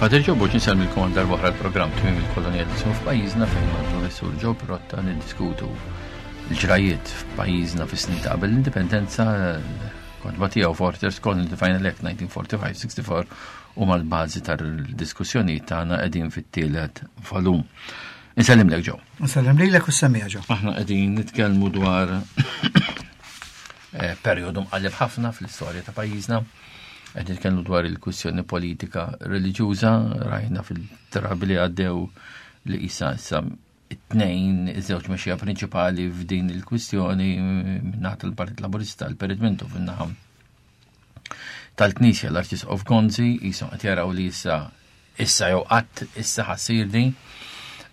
Pater Joe Boċ nsellmilkom għal darba oħra l-programm Tmiem il-Kolonjaliżmu f'pajjiżna fejn mal-Professur Joe Pirotta niddiskutu l-ġrajiet f'pajjiżna fis-snin ta' qabel l-indipendenza kotba tiegħu Forters Colony the Final Act 1945-64 u mal-bażi tal-diskussjonijiet tagħna qegħdin fit-tielet volum. Insellimlek Joe. Insellem lilek u semmija Joe. Aħna qegħdin nitkellmu dwar eh, perjodu mqalleb ħafna fl-istorja ta' pajjiżna. Qed nitkellmu dwar il-kwistjoni politika reliġjuża, rajna fil-drabi li għaddew li isa issa it-tnejn iż-żewġ mexxija prinċipali f'din il-kwistjoni minnaħa tal-Partit Laburista, l-Perit Mintoff fin-naħa tal-Knisja l-Arċisqof Gonzi jisom qed jaraw li issa issa jew qatt issa ħassir din.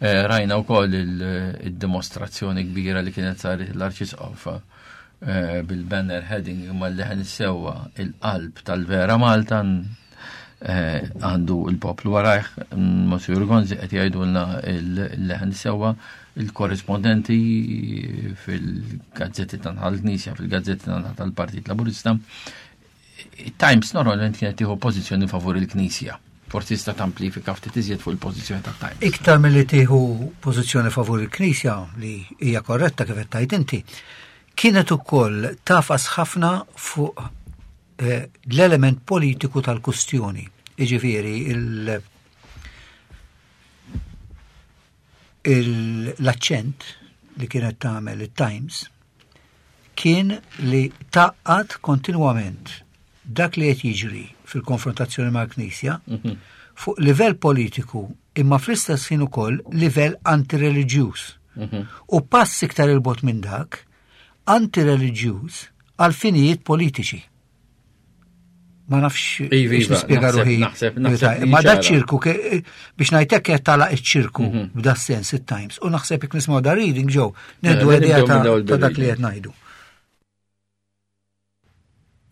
Eh, rajna wkoll il-dimostrazzjoni kbira li kienet saret l-Arċisqof eh, bil-banner heading imma l-leħen sewwa il-qalb tal-vera Malta eh, għandu il-poplu warajh, Monsignor Gonzi qed jgħidulna il-leħen sewwa il-korrispondenti fil-gazzetti tal-Knisja, fil-gazzetti tal-Partit Laburista Times normalment kienet tieħu pożizzjoni favur il-Knisja. Forsi tista' tamplifika ftit iżjed fuq il-pożizzjoni ta' Times. Iktar milli tieħu pożizzjoni favur il-Knisja li hija korretta kif qed tgħid inti, kienet ukoll tafas ħafna fuq eh, l-element politiku tal-kustjoni. Iġifieri il- l-aċċent li kienet tagħmel it-Times kien li taqqat kontinwament dak li qed jiġri fil-konfrontazzjoni mal-Knisja mhm. fuq livell politiku imma fl-istess ħin ukoll livell antireliġjuż. Mhm. U pass iktar il-bot minn dak, antireliġjuż għal finijiet politiċi. Ma nafx iva, biex iva, nispjega ruħi. Naħseb, naħseb. Ma da ċirku, biex ngħidlek qed tagħlaq iċ-ċirku mhm. b'da sens it-Times. U naħseb jekk nismgħu da reading ġew, nieħdu mela, idea ta' dak li qed ngħidu.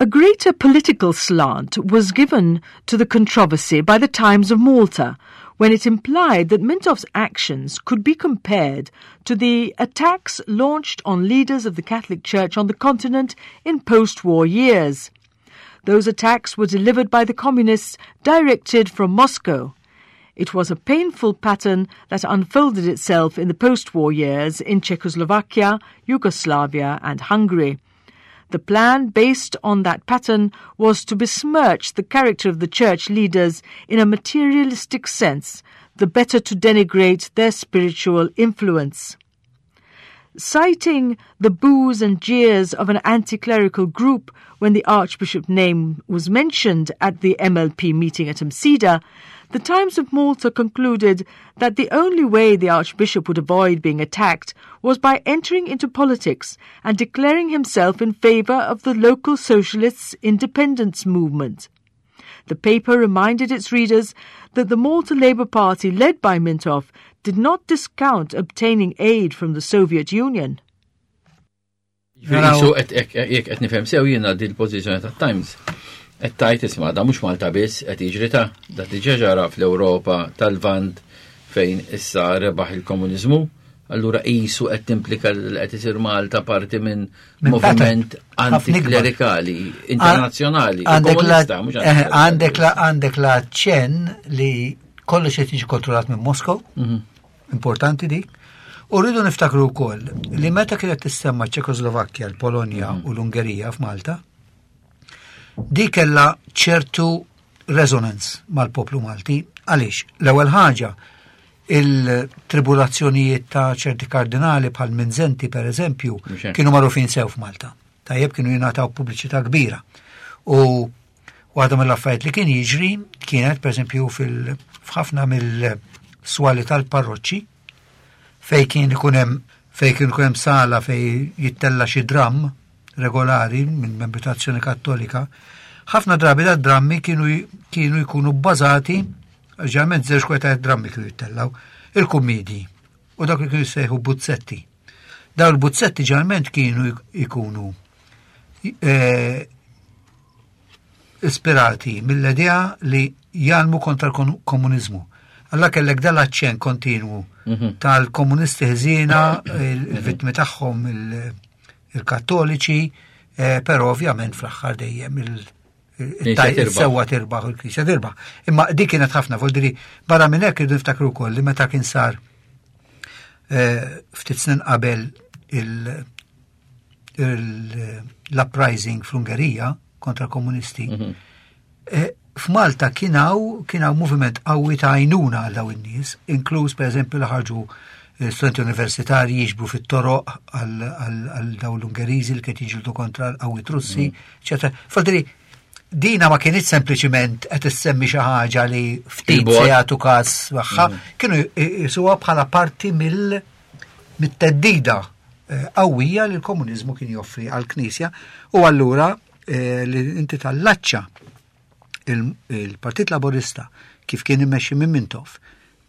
A greater political slant was given to the controversy by the Times of Malta when it implied that Mintoff's actions could be compared to the attacks launched on leaders of the Catholic Church on the continent in post-war years. Those attacks were delivered by the communists directed from Moscow. It was a painful pattern that unfolded itself in the post-war years in Czechoslovakia, Yugoslavia and Hungary. The plan based on that pattern was to besmirch the character of the church leaders in a materialistic sense, the better to denigrate their spiritual influence. Citing the boos and jeers of an anti clerical group when the Archbishop name was mentioned at the MLP meeting at Msida, the Times of Malta concluded that the only way the Archbishop would avoid being attacked was by entering into politics and declaring himself in favor of the local socialists' independence movement. The paper reminded its readers that the Malta Labour Party, led by Mintoff, did not discount obtaining aid from the Soviet Union. Jisu jekk qed nifhem sew jiena din il-pożizzjoni tat-Times qed tajt isma' da mhux Malta biss qed jiġri ta' da diġà ġara fl-Ewropa tal-Lvant fejn issa rebaħ il-komuniżmu, allura qisu qed timplika li qed isir Malta parti minn moviment antiklerikali internazzjonali. Eh, għandek la għandek la ċen li kollox qed jiġi kontrollat minn Moskow. Mhm. Importanti dik. U rridu niftakru wkoll li meta kienet tissemma Ċekoslovakkja, l-Polonja mhm. u l-Ungerija f'Malta, di kella ċertu resonance mal-poplu Malti. Għaliex, l-ewwel ħaġa, il-tribulazzjonijiet ta' ċerti kardinali bħal Minzenti per eżempju, kienu magħrufin sew f'Malta. Tajjeb kienu jingħataw pubbliċità kbira. U Waħda mill-affarijiet li kien jiġri kienet pereżempju fil-ħafna mill-swali tal-parroċċi fej kien ikun hemm fej kien ikun hemm sala fej jittella xi dramm regolari minn membri ta' Azzjoni Kattolika, ħafna drabi da drammi kienu kienu jkunu bbażati ġeneralment żewġ kweta drammi kienu jittellaw, il-kummedji u dak li kienu jissejħu buzzetti. Dawn il-buzzetti ġeneralment kienu jkunu eh, ispirati mill-idea li jgħalmu kontra l-komuniżmu. Alla kellek dal-aċċen kontinwu mhm. tal-komunisti ħżiena, il-vittmi tagħhom il-kattoliċi, eh, però ovvjament fl-aħħar dejjem Sewwa tirbaħ u l-Knisja tirbaħ. Imma dik kienet ħafna, voldiri, barra minn hekk irridu niftakru wkoll li meta kien sar eh, ftit snin qabel l-uprising fl-Ungerija kontra l-komunisti, mhm. eh, f'Malta kien hawn kien hawn moviment qawwi ta' għajnuna għal dawn in-nies, inkluż pereżempju li ħarġu eh, studenti universitarji jiġbru fit-toroq għal dawn l-Ungeriżi li kiet jiġildu kontra l-qawwiet Russi, eċetera. Mhm. Fadri, dina ma kienx sempliċiment qed issemmi xi ħaġa li ftit se jagħtu każ magħha, mhm. kienu jisuha bħala parti mill mit-teddida eh, qawwija li l-komuniżmu kien joffri għall-Knisja u allura eh, li inti tallaċċa il-Partit Laburista kif kien immexxi minn Mintoff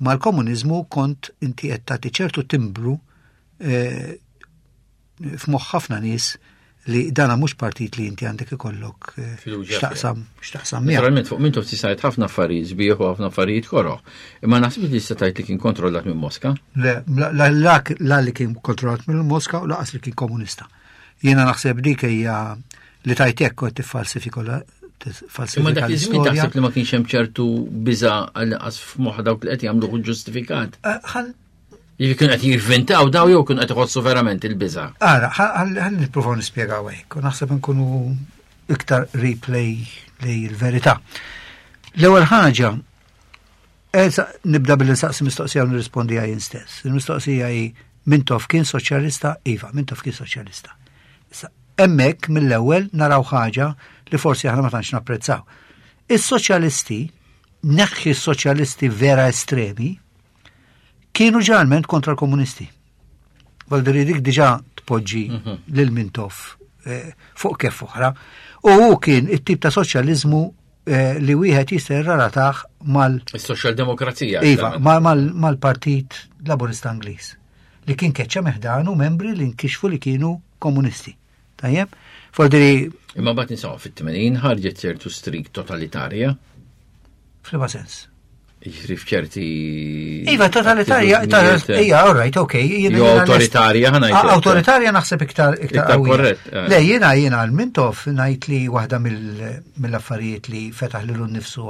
mal-komuniżmu kont inti qed tagħti ċertu timbru eh, f'moħħ ħafna nies li dana mhux partit li inti għandek ikollok eh, x'taqsam x'taqsam miegħu. Naturalment fuq Mintoff tisajt ħafna affarijiet sbieħ u ħafna affarijiet koroh. Imma naħseb li tista' tgħid li kien kontrollat minn Moska. Le, la li kien kontrollat minn Moska u laqas li kien komunista. Jiena naħseb dik hija li tajt hekk kont tiffalsifikola Imma dak iż-żmien taħseb li ma kienx hemm ċertu biża għal f'moħħ dawk li qed jagħmlu ġustifikat. Eh, Jiġi kienu qed jivvintaw daw jew kienu qed iħossu verament il-biża'. Ara, ħalli nippruvaw nispjegaw hekk, u naħseb nkunu iktar replay lej il-verità. L-ewwel ħaġa, nibda billi nsaqsi mistoqsija u nirrispondi jien stess. Il-mistoqsija hi Mintoff kien soċjalista? Iva, Mintoff kien soċjalista. Issa, hemmhekk mill-ewwel naraw ħaġa li forsi aħna ma tantx napprezzaw. Is-soċjalisti, neħħi s-soċjalisti vera estremi, kienu ġeneralment kontra l-komunisti. Valdiri dik diġa tpoġġi mhm. lil Mintoff eh, fuq kef oħra. U hu kien it-tip ta' soċjaliżmu eh, li wieħed jista' jirrelatah mal Is-soċjaldemokrazija. Iva, mal-Partit Laburista Ingliż li kien keċċa meħdanu membri li nkixfu li kienu komunisti. Tajjeb? Fordiri. Imma bat nisaw fit-80 ħarġet ċertu strik totalitarja. F'liema sens? Jiġri f'ċerti. Iva, totalitarja, ija, all right, ok. Jo autoritarja, ħanajt. Autoritarja naħseb iktar iktar korrett. Eh. Le, jiena jiena għal-Mintoff ngħid li waħda mill-affarijiet li fetaħ lilu nnifsu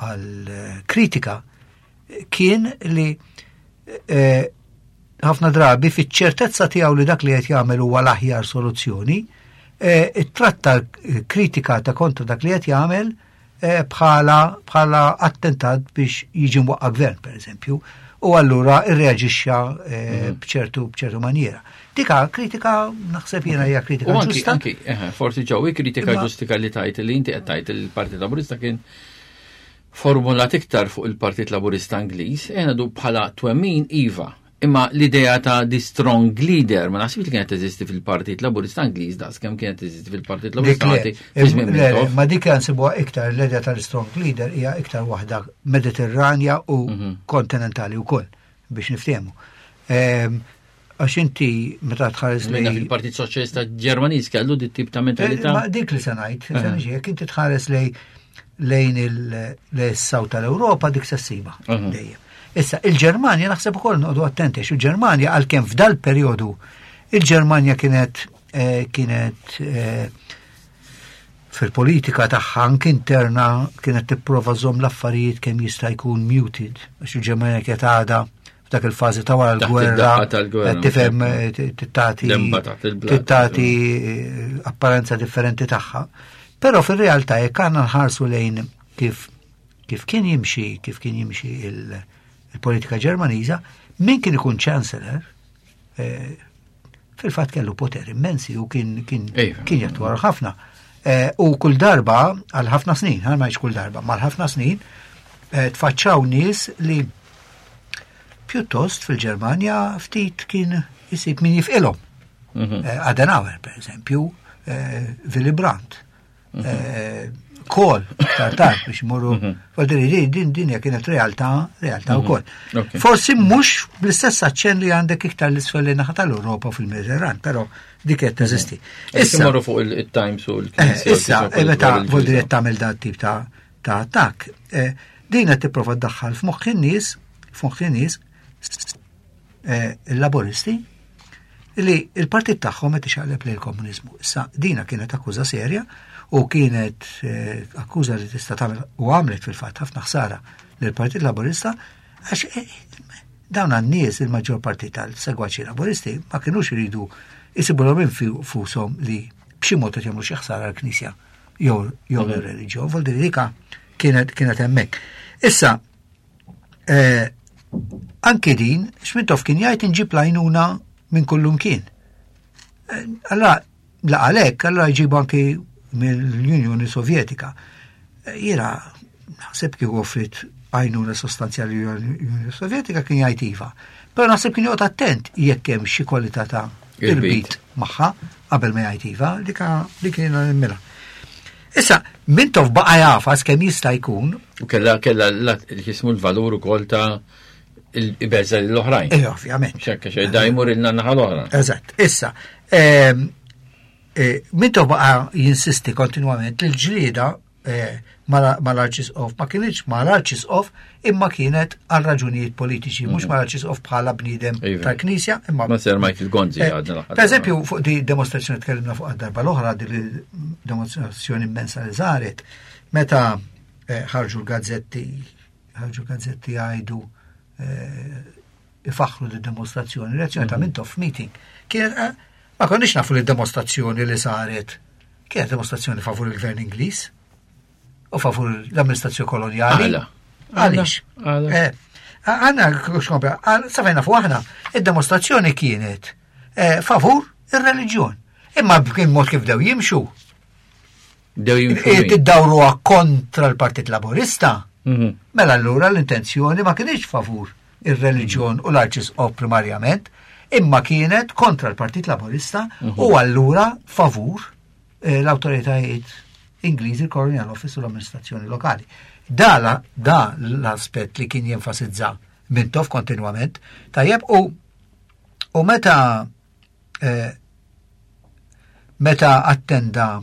għal kritika kien li eh, ħafna drabi fiċ-ċertezza tiegħu li dak li qed jagħmel huwa l-aħjar soluzzjoni, eh, ittratta kritika ta' kontra dak li qed jagħmel eh, bħala bħala attentat biex jiġi mwaqqa gvern, per eżempju, u allura irreaġixxa eh, mhm. bċertu bċertu maniera. Dika kritika naħseb jiena hija kritika ġusta. Anki, forsi ġew kritika ġustika li tajt li inti qed tajt il-Partit Laburista kien formulat iktar fuq il-Partit Laburista Ingliż, ejja ngħidu bħala twemmin iva, imma l-idea ta' the strong leader ma naħsibx li kienet teżisti fil-Partit Laburista Ingliż daqs kemm kienet teżisti fil-Partit Laburista Malti fi żmien Mintoff. Ma dik nsibuha iktar l-idea tal-strong leader hija iktar waħda Mediterranja u mhm. kontinentali wkoll biex niftehmu. Ehm, Għax inti meta tħares lejn. Fil-Partit Soċjalista Ġermaniż kellu dit tip ta' mentalità. Eh, ma dik li se ngħid, se niġi, jekk inti tħares lejn lejn il-saw tal-Ewropa dik se ssiba dejjem. Issa, il-Ġermanja naħseb ukoll noqogħdu attenti għax il-Ġermanja għalkemm f'dal perjodu il-Ġermanja kienet eh, kienet eh, fil-politika tagħha anke interna kienet tipprova żomm l-affarijiet kemm jista' jkun muted għax il-Ġermanja kienet għadha f'dak il-fażi ta' wara l-gwerra tifhem eh, tittati tittati eh, apparenza differenti tagħha. Però fir-realtà jekk għandna nħarsu lejn kif kif kien jimxi kif kien jimxi il-politika Ġermaniża, min kien ikun chancellor eh, fil-fatt kellu poter immensi u kien kien kien jattwar ħafna. Eh, u kull darba għal ħafna snin, għal ma kull darba, mal ħafna snin eh, tfaċċaw nies li pjuttost fil-Ġermanja ftit kien jisib min jifqilhom. Mhm. Adenauer, per eżempju, Willy Brandt. Mhm. Eh, kol, tartar biex morru. Mhm. Faldiri, din dinja kienet realtà, realtà mhm. wkoll. Forsi mhux bl-istess aċċen li għandek iktar l-isfel li naħa tal-Ewropa fil-Mediterran, però dik qed teżisti. Issa morru fuq il-Times u l-Knisja. Eh, issa, eh, meta voldiri qed tagħmel dan tip ta' ta' attakk, din qed tipprova ddaħħal f'moħħ in-nies, f'moħħ in-nies il-laboristi. li il-partit tagħhom qed ixaqleb lejn il-komuniżmu. Issa dina kienet akkuża serja u kienet eh, akkuża li tista' tagħmel u għamlet fil-fatt ħafna ħsara lill-Partit Laburista għax eh, dawn għan-nies il-maġġor parti tal-segwaċi Laburisti ma kinux iridu jisibulhom infushom li b'xi mod qed jagħmlu xi ħsara l-Knisja jew jew mhm. l-reliġjon, vol dika kienet kienet hemmhekk. Issa, eh, anki din, Xmintoff kien jgħid inġib lajnuna minn kullum kien. Eh, allora, la għalhekk, allora jġibu anki mill-Unjoni Sovjetika. Eh, jiena naħseb kieku offrit għajnuna sostanzjali l-Unjoni Sovjetika kien jgħid iva. Però naħseb kien joqgħod attent jekk hemm xi kwalità ta' irbit magħha qabel ma jgħid iva, dik kien nimmilha. Issa, Mintoff baqa' jafas kemm jista' jkun. U kella kella jismu l-valur ukoll ta' il-beża l-oħrajn. Eh, ovvjament. Xekka xej da jmur il naħa l-oħra. Eżatt. Issa, ehm, eh, Mintoff baqa' jinsisti kontinwament li l-ġlieda eh, mal-Arċisqof ma kienx mal-Arċisqof imma kienet għal raġunijiet politiċi, mhux mhm. mal-Arċisqof bħala bniedem iva. tal-Knisja imma. Ma ser Michael Gonzi eh, għadna. Per eżempju, fuq di demonstrazzjoni tkellimna fuq darba l-oħra, di demonstrazzjoni immensa li saret, meta eh, ħarġu l-gazzetti, ħarġu l-gazzetti għajdu ifaħħru di demonstrazzjoni, reazzjoni ta' mhm. Mintoff meeting. Kienet ma konniex nafu li demonstrazzjoni li saret Kienet demonstrazzjoni favur il-gvern Ingliż u favur l-amministrazzjoni kolonjali. Għaliex? Eh, għanna, xkompra, safajna fuq aħna, id-demonstrazzjoni kienet eh, favur ir-reliġjon. Imma b'kien mod kif dew jimxu. Dew jimxu. Eh, tiddawru kontra l-Partit Laburista. Mhm. Mela allura l-intenzjoni ma kienx favur ir-reliġjon u l-arċisqof primarjament, imma kienet kontra l-Partit Laburista mhm. u allura favur eh, l-autoritajiet Ingliżi, il-Colonial Office u l-amministrazzjoni lokali. Da, da l-aspett li kien jenfasizza Mintoff kontinwament, tajjeb u u meta eh, meta attenda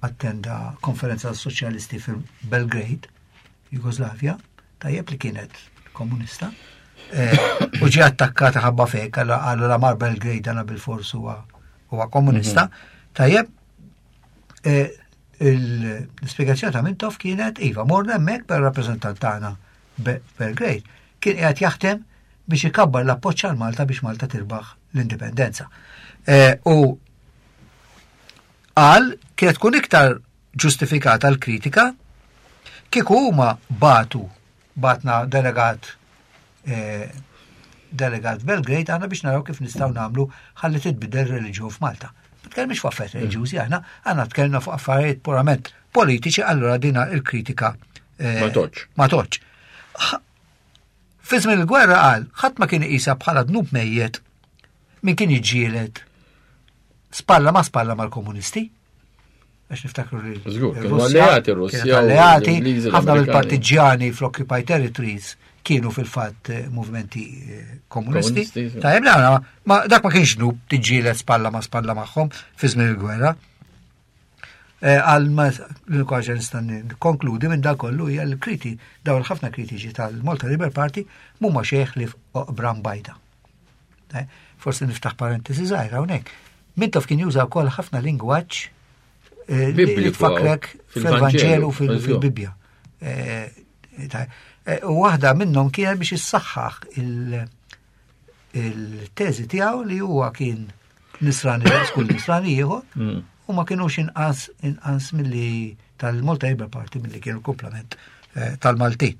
attenda konferenza soċjalisti fil-Belgrade, Jugoslavja, tajjeb li kienet komunista, eh, u ġie attakkata ħabba fek, għallu la mar Belgrade għana bil-fors huwa komunista, mhm. tajjeb, eh, l-spiegazzjoni ta' Mintoff kienet, iva, morna hemmhekk per rappreżentant tagħna Belgrade, kien qiegħed jaħdem biex ikabbar l-appoġġ għal Malta biex Malta tirbaħ l-indipendenza. Eh, u qal kienet tkun iktar ġustifikata l-kritika kieku huma batu batna delegat eh, delegat Belgrade għandna biex naraw kif nistgħu nagħmlu ħalli titbidel reliġjon f'Malta. Ma tkellmix fuq affarijiet reliġjużi aħna, għandna tkellimna fuq affarijiet purament politiċi, allura dina il-kritika eh, ma toċ. Ma toċ. Fi żmien il-gwerra qal, ħadd ma kien iqisha bħala dnub mejjet min kien jiġġieled spalla ma spalla mal-komunisti. Għax niftakru li Żgur, kienu alleati Russja. Alleati, ħafna mill-partiġjani fl-Occupied Territories kienu fil-fatt eh, movimenti eh, komunisti. Tajjeb, ma dak ma kienx dnub tiġġieled spalla ma spalla magħhom fi żmien il-gwerra. Eh, għal ma l-unika ħaġa nista' nikkonkludi minn dak kollu hija l-kriti dawn ħafna kritiċi tal-Malta Labour Party mhuma xejn li oqbra mbajda. Eh, forsi niftaħ parentesi żgħira hawnhekk. Mintoff kien juża wkoll ħafna lingwaġġ eh, li tfakrek fil-Vanġelu fil-Bibbja. U waħda minnhom kienet biex issaħħaħ il-teżi tiegħu li huwa kien nisrani daqs kull nisrani ieħor mm. u ma kienux inqas inqas milli tal-Malta Labour Party milli kienu komplement eh, tal-Maltin.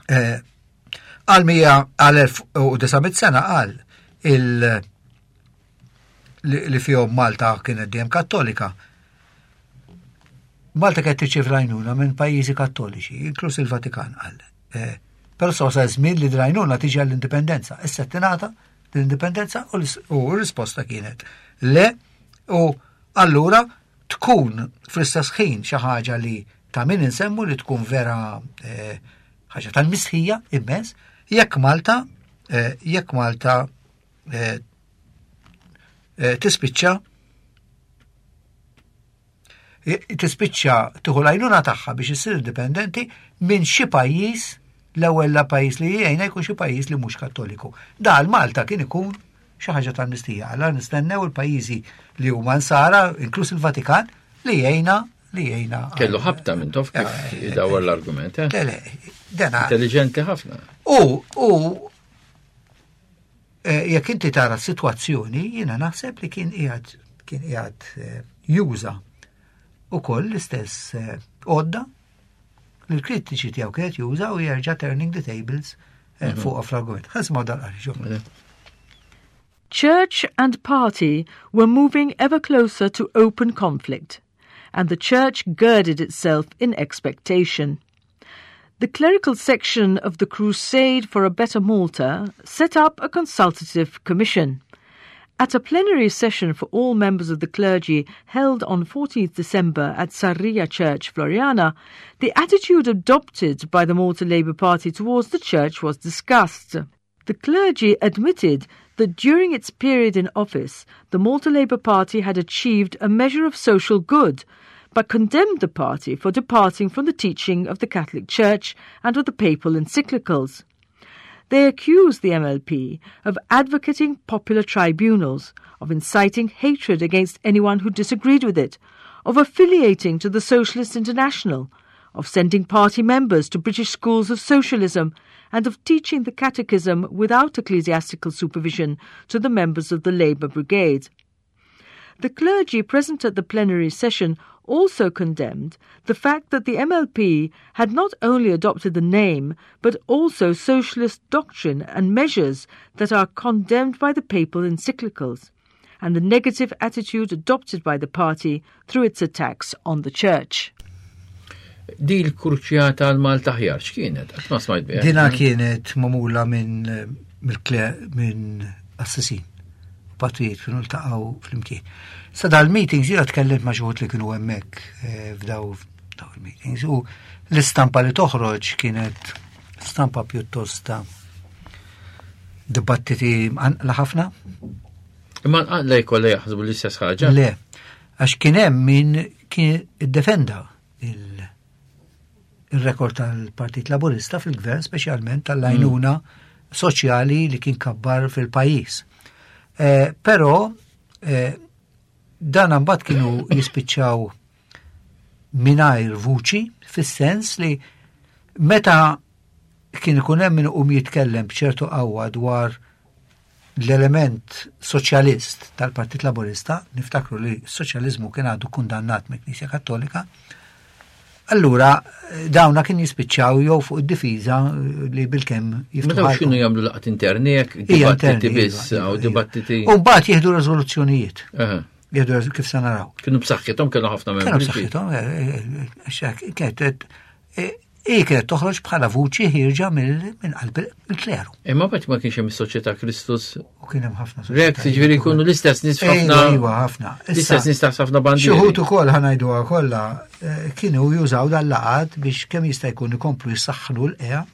Eh, għal għal 1900 sena qal il li fihom Malta kienet dejjem kattolika. Malta kienet tirċievi l-għajnuna minn pajjiżi kattoliċi, inkluż il-Vatikan qal. Eh, però sa wasal żmien li l-għajnuna tiġi għall-indipendenza. Issa tingħata l-indipendenza u l-risposta kienet le u allura tkun fl-istess ħin xi ħaġa li ta' min insemmu li tkun vera eh, ħaġa tal-mistħija immens jekk Malta eh, jekk Malta eh, tispiċċa tispiċċa tieħu l-għajnuna tagħha biex issir indipendenti minn xi pajjiż l-ewwel la pajjiż li jgħinha jkun xi pajjiż li mhux kattoliku. Da għal Malta kien ikun Xi ħaġa tal-mistija. Alla nistennew il-pajjiżi li huma nsara, inkluż il-Vatikan, li jgħinna li jgħinna. Kellu ħabta minn tof kif eh, eh, idawwar l-argument, eh? Le, le, dena. Intelligenti ħafna. U, u, jekk inti tara s-sitwazzjoni, jiena naħseb li kien qiegħed kien qiegħed juża ukoll l-istess għodda li l-kritiċi tiegħu kienet juża u jerġa' turning the tables eh, mhm. fuq fl-argument. Ħasma dal-qari Church and party were moving ever closer to open conflict, and the church girded itself in expectation. The clerical section of the Crusade for a Better Malta set up a consultative commission. At a plenary session for all members of the clergy held on 14th December at Sarria Church, Floriana, the attitude adopted by the Malta Labour Party towards the church was discussed. The clergy admitted that during its period in office, the Malta Labour Party had achieved a measure of social good, but condemned the party for departing from the teaching of the Catholic Church and of the papal encyclicals. They accused the MLP of advocating popular tribunals, of inciting hatred against anyone who disagreed with it, of affiliating to the Socialist International, of sending party members to British schools of socialism, and of teaching the catechism without ecclesiastical supervision to the members of the Labour Brigade. The clergy present at the plenary session also condemned the fact that the MLP had not only adopted the name, but also socialist doctrine and measures that are condemned by the papal encyclicals, and the negative attitude adopted by the party through its attacks on the church. Di l-kurċjata għal Malta ħjar x'kienet? Qatt ma smajt biha. Dina kienet magħmula minn minn assisin. Patrijiet kienu ltaqgħu flimkien. Sa dal-meetings jiena tkellimt ma' xi li kienu hemmhekk eh, f'daw daw il-meetings u l-istampa li toħroġ kienet stampa pjuttost ta' dibattiti mqanqla ħafna. Imma nqanqla jkollha jaħsbu l-istess ħaġa. Le, għax kien hemm min kien iddefenda il-rekord tal-Partit Laburista fil-gvern, speċjalment tal-għajnuna mm. soċjali li kien kabbar fil-pajjiż. Eh, però eh, dan mbagħad kienu jispiċċaw mingħajr vuċi fis-sens li meta kien ikun hemm min iqum jitkellem b'ċertu qawwa dwar l-element soċjalist tal-Partit Laburista, niftakru li s-soċjaliżmu kien għadu kundannat mill-Knisja Kattolika, allura eh, dawna kien jispiċċaw jew fuq id-difiża eh, li bilkemm jiftħu. Meta x'kienu jagħmlu laqgħat interni jekk dibattiti biss iva, u iva. dibattiti. U mbagħad jieħdu riżoluzzjonijiet. Jieħdu kif se naraw. Kienu b'saħħithom kienu ħafna membri. Kienu b'saħħithom, eh, kienet Hi kienet toħroġ bħala vuċi ħierġa minn qalb il-kleru. Imma bad ma kienx hemm is-Soċjetà Kristus. U kien hemm ħafna Rek, jiġifieri jkunu l-istess nies ħafna. Iva, ħafna. L-istess nies taħt ħafna bandieri. Xi wħud ukoll ħanajduha kollha eh, kienu jużaw dal-laqat biex kemm jista' jkun ikomplu jsaħħnu l-qea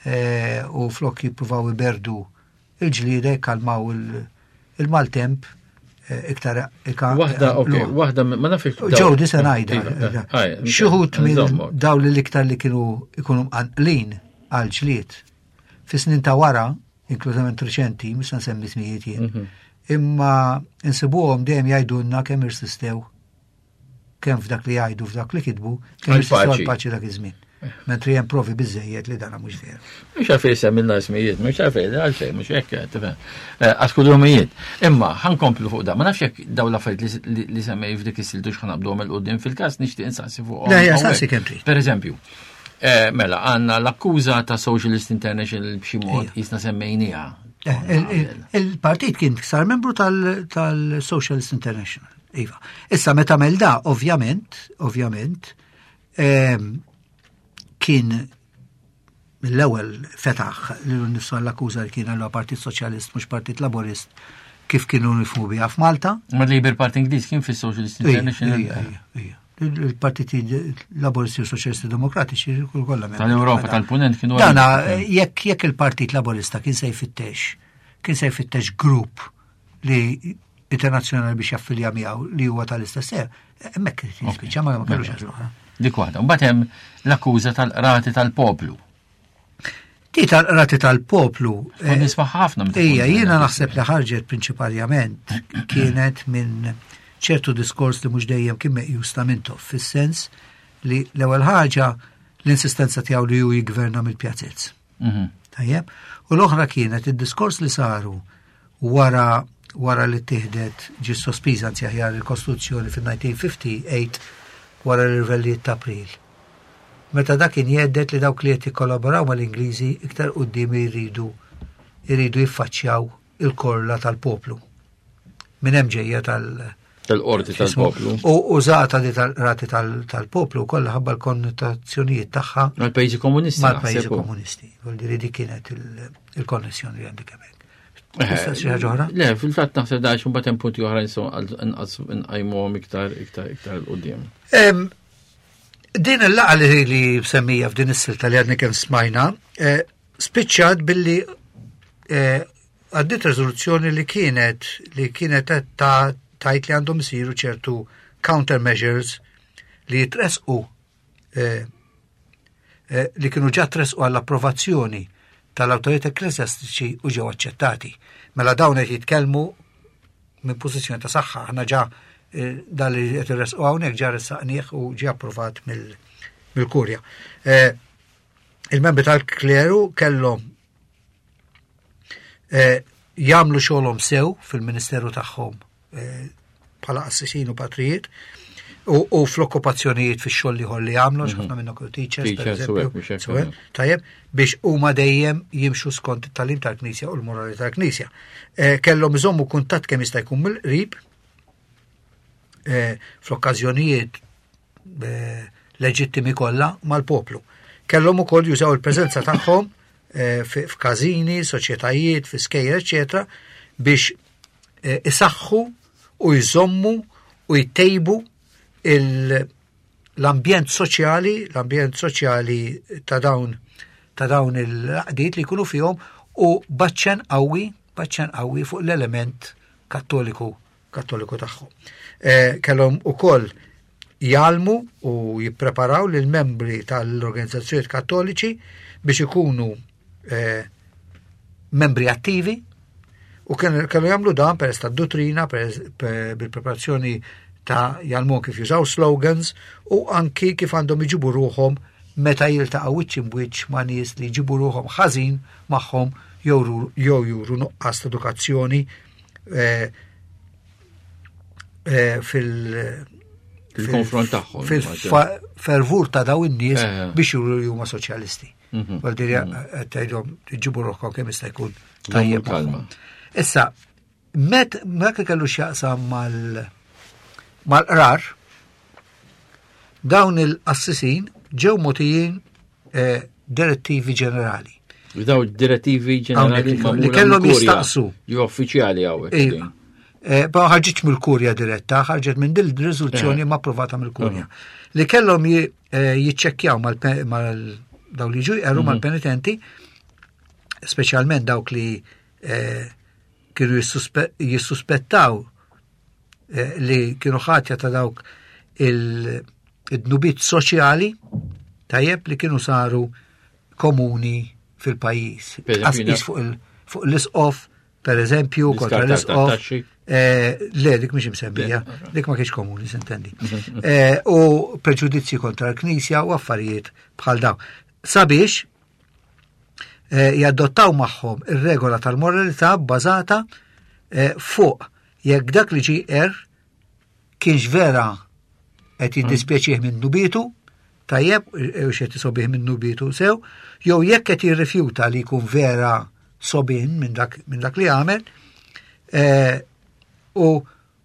eh, u flok jippruvaw iberdu il-ġlieda jikkalmaw il-maltemp eh, iktar Waħda, ok, waħda ma nafx. Ġew di se ngħidha. Iva, eh, eh, Xi wħud minn dawn li l-iktar li kienu ikunu mqanqlin għal ġlied. Fi snin ta' wara, inklużament reċenti, mhux se nsemmi smijiet jien, mhm. imma insibuhom dejjem jgħidulna kemm irsistew kemm f'dak li jgħidu f'dak li kitbu, kemm irsistew għal-paċi dak iż-żmien. Mentri hemm provi biżejjed li dana mhux veru. Mhux għalfejn semmilna ismijiet, mhux għalfejn, għalfejn, mhux hekk, tifhem. Eh, għax kullumijiet. Imma ħankomplu fuq da, ma nafx jekk dawn l-affarijiet li semmej f'dik is-siltu x'ħanabduhom il qudiem fil-każ nixtieq insaqsi fuqhom. Le, saqsi kemm trid. Per eżempju, eh, mela għandna l-akkuża ta' Socialist International b'xi mod jisna semmejniha. Eh, il-partit kien sar membru tal-Socialist International. Iva. Issa meta mel da, ovvjament, ovvjament, ehm, kien mill-ewwel fetaħ lilu nnifsu għall-akkuża li kien għallu Partit Soċjalist mhux Partit Laburist kif kienu nifhmu biha f'Malta. Ma Labour Party Ingliż kien fis-Socialist International. Il-partiti Laburisti u Soċjalisti Demokratiċi kollha Tal-Ewropa tal-Punent kienu. Dana jekk jekk il-Partit Laburista kien se jfittex kien se jfittex grupp li internazzjonali biex jaffilja miegħu li huwa tal-istess ser, hemmhekk irid jispiċċa ma kellux għażla. Dik waħda. Mbagħad hemm l-akkuża tal-qrati tal-poplu. Di tal-qrati tal-poplu. Eh, nisma' ħafna meta. Ija, jiena naħseb li ħarġet prinċipalment kienet minn ċertu diskors li mhux dejjem kien meqjus ta' Mintoff, fis-sens li l-ewwel ħaġa l-insistenza tiegħu li hu jiggverna mill-pjazez. Mhm. Tajjeb, u l-oħra kienet id-diskors li saru wara wara li tieħdet ġi sospiża anzi aħjar il-Kostituzzjoni fil-1958 wara l-irvellijiet ta' April. Meta dak kien jgħedded li dawk li qed jikkollaboraw mal-Ingliżi iktar quddiem jridu jridu jiffaċċjaw il-korla tal-poplu. Minn hemm ġejja tal- Tal-qorti tal-poplu. U użata di tal-rati tal-poplu kollha ħabba l-konnotazzjonijiet tagħha. Mal-pajjiżi komunisti. Mal-pajjiżi komunisti. Vuol dire di kienet il-konnessjoni li għandek hemmhekk. Tista' xi ħaġa oħra? Le, fil-fatt naħseb dax imbagħad hemm punti oħra nistgħu inqas nqajmuhom iktar iktar iktar 'l quddiem. Din il-laqa li li semmija f'din is-silta li għadni kemm smajna, eh, spiċċat billi eh, għaddit rezoluzzjoni li kienet li kienet ta' tajt li għandhom isiru ċertu countermeasures li jitresqu eh, li kienu ġa tresqu għall-approvazzjoni tal-awtoritajiet ekklesjastiċi u ġew aċċettati. Mela dawn qed jitkellmu minn pożizzjoni ta' saħħa, aħna ġa eh, dan li qed irresqu hawnhekk ġa ressaqnieh u ġie approvat mill-kurja. Eh, il-membri tal-kleru kellhom eh, jagħmlu xogħolhom sew fil-ministeru tagħhom eh, bħala qassisin u patrijiet u, u fl-okkupazzjonijiet fix-xogħol ieħor li jagħmlu, mm -hmm. ħafna minnhom kienu teachers, pereżempju, tajjeb, biex huma dejjem jimxu skont it-talim tal-Knisja u l-morali tal-Knisja. Eh, kellhom iżommu kuntatt kemm jista' jkun mill-qrib eh, fl-okkażjonijiet eh, leġittimi kollha mal-poplu. Kellhom ukoll jużaw il-preżenza tagħhom eh, f'każini, soċjetajiet, fi skejjel, eċetera, biex eh, isaħħu u jżommu u jtejbu l-ambjent soċjali, l-ambjent soċjali ta' dawn ta' dawn il-laqdiet li jkunu fihom u baċċen qawwi, baċċen qawwi fuq l-element kattoliku kattoliku tagħhom. Eh, kellhom ukoll jgħallmu u jippreparaw lil membri tal-organizzazzjonijiet kattoliċi biex ikunu eh, membri attivi u kellu jagħmlu dan peress tad-dottrina, bil-preparazzjoni ta' jgħallmu kif jużaw slogans u anki kif għandhom iġibu ruħhom meta jiltaqgħu wiċċ imbwiċċ ma' nies li jġibu ruħhom ħażin magħhom jew juru nuqqas ta' edukazzjoni eh, eh, fil- fil-konfront tagħhom. Fil-fervur ta' daw in-nies eh. biex juru li huma soċjalisti. Mhm. Għal dirja mhm. qed tgħidhom ġibu ruħkom kemm jista' jkun tajjeb. Kalma. Issa, met dak li kellu x'jaqsam mal mal-qrar, dawn il-qassisin ġew mogħtijin eh, direttivi ġenerali. Daw direttivi ġenerali li kellhom jistaqsu. Ju uffiċjali hawnhekk. Iva. Eh, ma ħarġitx mill-kurja diretta, ħarġet minn dil riżoluzzjoni eh. ma approvata mill-kurja. Li kellhom eh, jiċċekkjaw mal daw li ġu jqerru mhm. mal-penitenti, speċjalment dawk li kienu jissuspettaw li kienu ħatja ta' dawk il-dnubiet soċjali tajjeb li kienu saru komuni fil-pajjiż. Qasqis fuq l-isqof, per eżempju, kontra l-isqof. Eh, le, dik mhix imsemmija, dik ma kienx komuni, sintendi. Eh, u preġudizzji kontra l-Knisja u affarijiet bħal dawn. Sabiex eh, jadottaw magħhom ir-regola tal-moralità bbażata fuq jekk dak li ġie er kienx vera qed jiddispjaċih minn nubitu, tajjeb, u xed isobih minn nubitu sew, jew jekk qed jirrifjuta li jkun vera sobin minn dak, min dak li għamel, eh, u,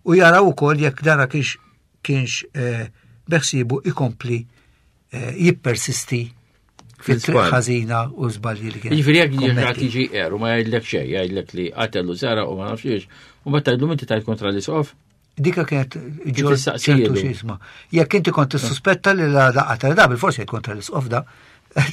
u jaraw ukoll jekk dana kienx kienx eh, beħsibu ikompli eh, jippersisti fit-triq ħażina u żbalji li kien. Jiġifieri jekk jiġi tiġi er u ma jgħidlek xejn, jgħidlek li qatel u sara u ma nafx ix, u mbagħad tgħidlu inti tajt kontra l-isqof. Dika kienet ġol ċertu xisma. Jekk inti kont tissuspetta li la da qatel da bil-forsi jgħid kontra l-isqof da.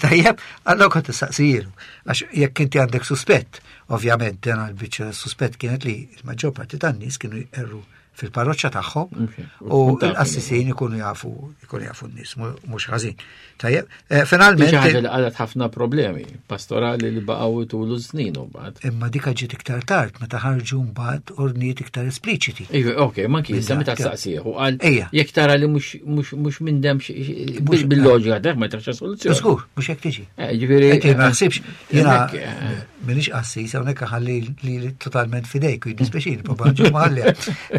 Tajjeb, allora kont tistaqsijilu. Għax jekk inti għandek suspett, ovvjament, dena l-biċċa suspett kienet li l-maġġor parti tan-nies kienu jqerru. fil-parroċċa tagħhom u l-qassisin ikunu jafu ikunu jafu n-nies mhux ħażin. Tajjeb, eh, finalment. Ħaġa li qalet ħafna problemi pastorali li baqgħu tulu snin u mbagħad. Imma dik ġiet iktar tard meta ħarġu mbagħad ordnijiet iktar espliċiti. Iva, ok, ma kien sa meta staqsih u qal jekk tara li mhux minn dem bil-loġika dak ma tax soluzzjoni. Żgur, mhux hekk tiġi. Eh, ġifieri. Ma naħsibx jiena eh. Minix qassis, hawnhekk ħalli li totalment fidejk u jiddispeċini, papà ġo maħalli.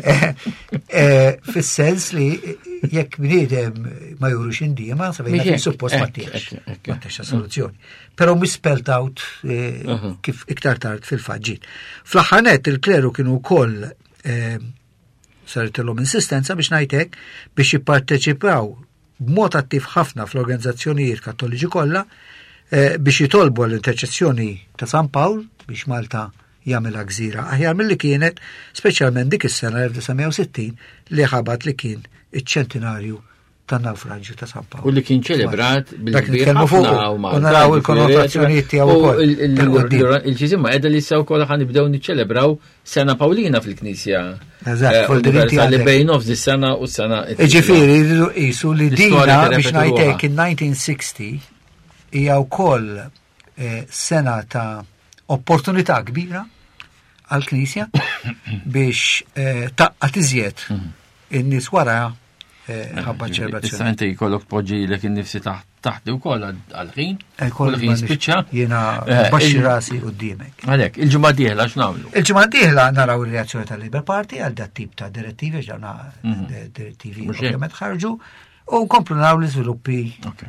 Eh, eh, fis-sens li jekk bniedem ma jurux indiema, sabejna kien suppost ma tiex. Ma tiex soluzzjoni. Però mhux spelled out eh, kif iktar tard fil-faġġit. Fl-aħħar nett il-kleru kienu wkoll saritilhom insistenza biex ngħidlek biex jipparteċipaw b'mod attiv ħafna fl-organizzazzjonijiet Kattoliċi kollha eh, biex jitolbu għall-interċessjoni ta' San Pawl biex Malta jagħmilha gżira aħjar milli kienet, speċjalment dik is-sena 1960 li ħabat li kien iċ-ċentinarju tan-nawfraġġju ta' San Pawl. U li kien ċelebrat bil-kbir ħafna u naraw il-konnotazzjonijiet tiegħu ukoll. Il-ġiżimma qiegħda li issa wkoll ħa nibdew niċċelebraw Sena Pawlina fil-Knisja. Eżatt, eh, universali bejn nofs is-sena u s-sena. Ġifieri rridu qisu li dina biex ngħidlek in-1960 hija wkoll eh, sena ta' opportunità kbira għall-Knisja biex eh, taqqat iżjed mhm. in-nies wara eh, ħabba ċelebrazzjoni. Issa inti jkollok poġġi lek innifsi taħt taħt ukoll għal-ħin. Eh, ħin spiċċa. Jiena eh, baxxi rasi qudiemek. Għalhekk, il-ġimgħa dieħla x'nagħmlu? Il-ġimgħa dieħla naraw ir-reazzjoni tal-Labour Party għal dat tip ta' direttivi ġdawna mhm. direttivi ovvjament ħarġu. U nkomplu naraw l-iżviluppi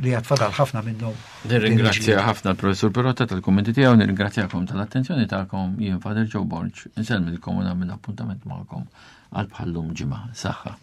li għad fadal ħafna minnhom. Nirringrazzja ħafna l-professur Perotta tal-kummenti tiegħu, nirringrazzjakom tal-attenzjoni tagħkom, jien Father Joe Borg, insellmilkom u nagħmel appuntament magħkom għal bħallum ġimgħa. Saħħa.